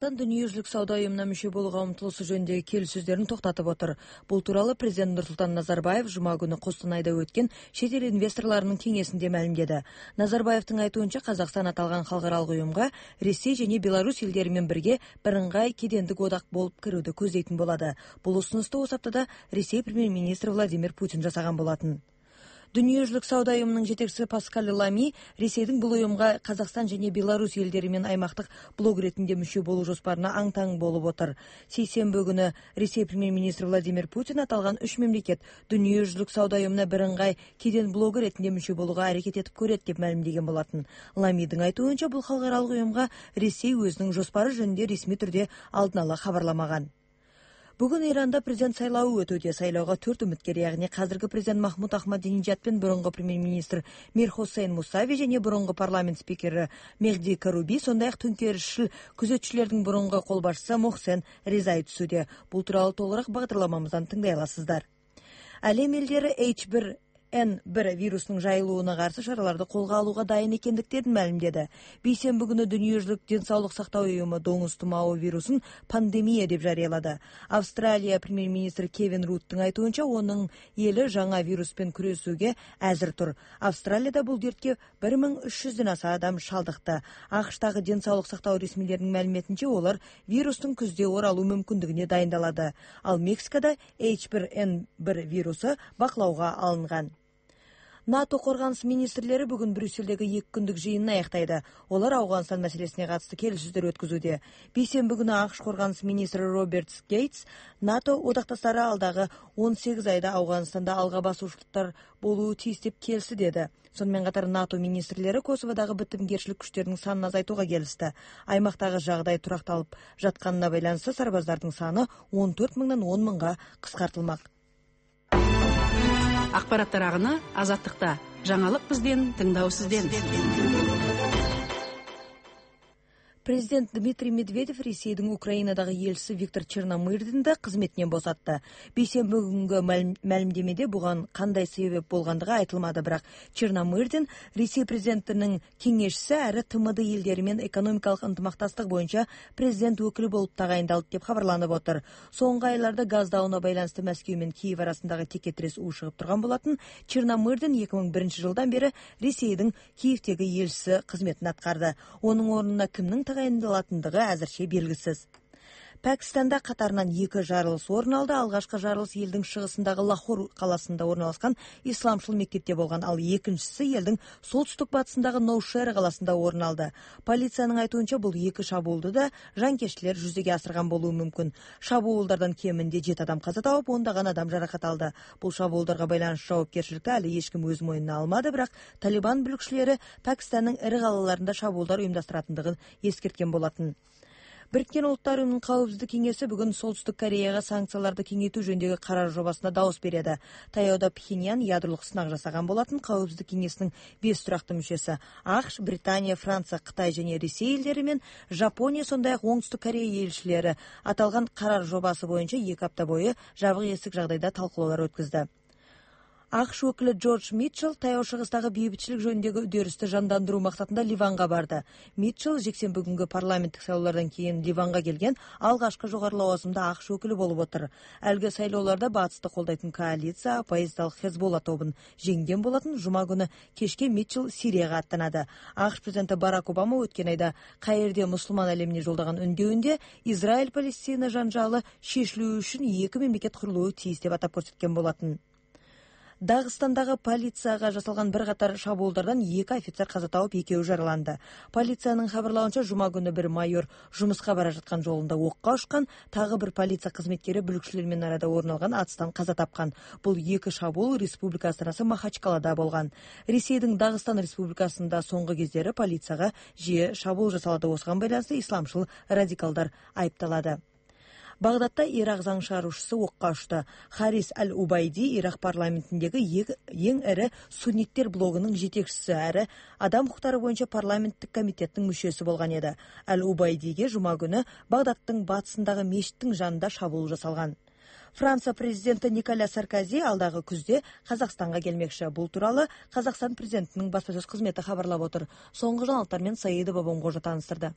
Дүниежүзүлүк сауда уюмуна мүчө болууга умтулуусу жөнүндөгү келишүүлөрүн токтотуп отур. Бул тууралуу президент Нурсултан Назарбаев жума күнү Костанайда өткөн чет эл инвесторлорунун кеңесинде маалимдеди. Назарбаевдин айтуунча, Казакстан аталган халкыралык уюмга Ресей жана Беларусь элдери менен бирге бирыңгай кедендик одак болуп кирүүдү көздөйтүн болот. Бул усунусту осы аптада Ресей премьер-министри Владимир Путин жасаган болотун. Дүниежүзүлүк сауда уюмунун жетекчиси Паскаль Лами Ресейдин бул уюмга Казакстан жана Беларусь элдери менен аймактык блок иретинде мүчө болуу жоспарына аң-таң болуп отур. Сейсенби күнү Ресей премьер-министри Владимир Путин аталган 3 мамлекет Дүниежүзүлүк сауда уюмуна бирыңгай кеден блок иретинде мүчө болууга аракет этип көрөт деп маалимдеген болотун. Ламидин айтуунча, бул халкыралык уюмга Ресей өзүнүн жоспары жөнүндө ресми түрдө алдын ала кабарламаган. Бүгүн Иранда президент сайлообу өтүүдө. Сайлоого 4 үмүткер, ягни казыркы президент Махмуд Ахмадинежад пен мурунку премьер-министр Мир Хусейн Мусави жана мурунку парламент спикери Мехди Каруби, сондай-ак төңкеришчил күзөтчүлөрдүн мурунку кол башчысы Мохсен Резай түсүүдө. Бул тууралуу толугураак багдарламамыздан тыңдай аласыздар. Алем элдери H1N1 вирусунун жайылууна каршы чараларды колго алууга дайын экендиктерин маалимдеди. Бейсенби күнү Дүниежүзүлүк ден соолук сактоо уюму доңуз тумоо вирусун пандемия деп жарыялады. Австралия премьер-министри Кевин Руттун айтуунча, онун эли жаңа вирус менен күрөшүүгө азыр тур. Австралияда бул дертке 1300дөн аса адам шалдыкты. АКШтагы ден соолук сактоо ресмилеринин маалиметинче, олар вирустун күздө оралуу мүмкүндүгүнө дайындалады. Ал Мексикада H1N1 вирусу бакылоого алынган. НАТО коргонус министрлери бүгүн Брюссельдеги 2 күндүк жыйынын аяктайды. Олар Афганстан маселесине катысты келишүүлөр өткөзүүдө. Бейсенби күнү АКШ коргонус министри Роберт Гейтс НАТО одакташтары алдагы 18 айда Афганстанда алга басуучулуктар болуу тийиз деп келси деди. Сонун катар НАТО министрлери Косоводагы битимгерчилик күчтөрүнүн санын азайтууга келишти. Аймактагы жагдай туракталып жатканына байланыштуу сарбаздардын саны 14 мыңдан 10 мыңга кыскартылмак. Акпараттар агыны Азаттыкта. Жаңылык бизден, тыңдоо сизден. Президент Дмитрий Медведев Ресейдин Украинадагы элчиси Виктор Черномырдинди да кызметинен босатты. Бейсенби күнгө маалимдемеде буга кандай себеп болгондугу айтылмады, бирок Черномырдин Ресей президентинин кеңешчиси ары ТМД элдери менен экономикалык ынтымактастык боюнча президент өкүлү болуп тагайындалды деп кабарланып отур. Соңку айларда газ дауына байланыштуу Москва менен Киев арасындагы текетирес ушугуп турган болотун. Черномырдин 2001 жылдан бери Ресейдин Киевдеги элчиси кызметин аткарды. Онун ордуна кимдин тагайындалатындыгы азырча белгисиз. Пакистанда катарынан 2 жарылыш орун алды. Алгачкы жарылыш элдин чыгысындагы Лахор каласында орналашкан исламчыл мектепте болгон. Ал экинчиси элдин солтүстүк-батысындагы Ноушер каласында орун алды. Полициянын айтуунча, бул 2 шабуулду да жанкечтилер жүзөгө асырган болуу мүмкүн. Шабуулдардан кеминде 7 адам каза тауып, 10 адам жаракат алды. Бул шабуулдарга байланыштуу жоопкерчиликти али эч ким өз мойнуна алмады, бирок Талибан бүлүкчүлөрү Пакистандын ири калаларында шабуулдар уюмдастыратындыгын эскерткен болотун. Бириккен Улуттар Уюмунун Коопсуздук кеңеси бүгүн Солтүстүк Кореяга санкцияларды кеңейтүү жөнүндөгү карар жобасына дабыс берди. Таяуда Пхеньян ядролук сынак жасаган болотун. Коопсуздук кеңесинин 5 турактуу мүчөсү АКШ, Британия, Франция, Кытай жана Ресей элдери менен Жапония, сондай-ак Оңтүстүк Корея элчилери аталган карар жобасы боюнча 2 апта бою жабык эсик жагдайда талкуулар өткөздү. АКШ өкүлү Джордж Митчелл Таяу Чыгыстагы бейбитчилик жөнүндөгү үдөрүстү жандандыруу максатында Ливанга барды. Митчелл жексенби күнгү парламенттик шайлоолордон кийин Ливанга келген алгачкы жогору лауазымда АКШ өкүлү болуп отур. Алгы шайлоолордо батысты колдойтун коалиция оппозициялык Хезболла тобун жеңген болотун. Жума күнү кечке Митчелл Сирияга аттанады. АКШ президенти Барак Обама өткөн айда Каирде мусулман алемине жолдогон үндөөүндө Израиль-Палестина жанжалы чечилүү үчүн 2 мамлекет курулуу тийиз деп атап көрсөткөн болотун. Дагыстандагы полицияга жасалган бир катар шабуулдардан 2 офицер каза тауып, 2 жараланды. Полициянын кабарлауынча, жума күнү бир майор жумушка бара жаткан жолунда окко учкан, тагы бир полиция кызметкери бүлүкчүлөр менен арада орун алган атыстан каза тапкан. Бул 2 шабуул республика астанасы Махачкалада болгон. Ресейдин Дагыстан республикасында соңку кездери полицияга жиі шабуул жасалады. Осуга байланыштуу исламчыл радикалдар айыпталады. Багдадта Ирак заң чыгаруучусу окко учту. Харис Аль-Убайди Ирак парламентиндеги эң ири сунниттер блогунун жетекчиси ары адам укуктары боюнча парламенттик комитеттин мүчөсү болгон эди. Аль-Убайдиге жума күнү Багдадтын батысындагы мечиттин жанында шабуул жасалган. Франция президенти Николя Саркози алдагы күздө Казакстанга келмекчи. Бул тууралуу Казакстан президентинин баспасөз кызмети кабарлап отур. Соңку жаңылыктар менен Саидова Бомгожо тааныстырды.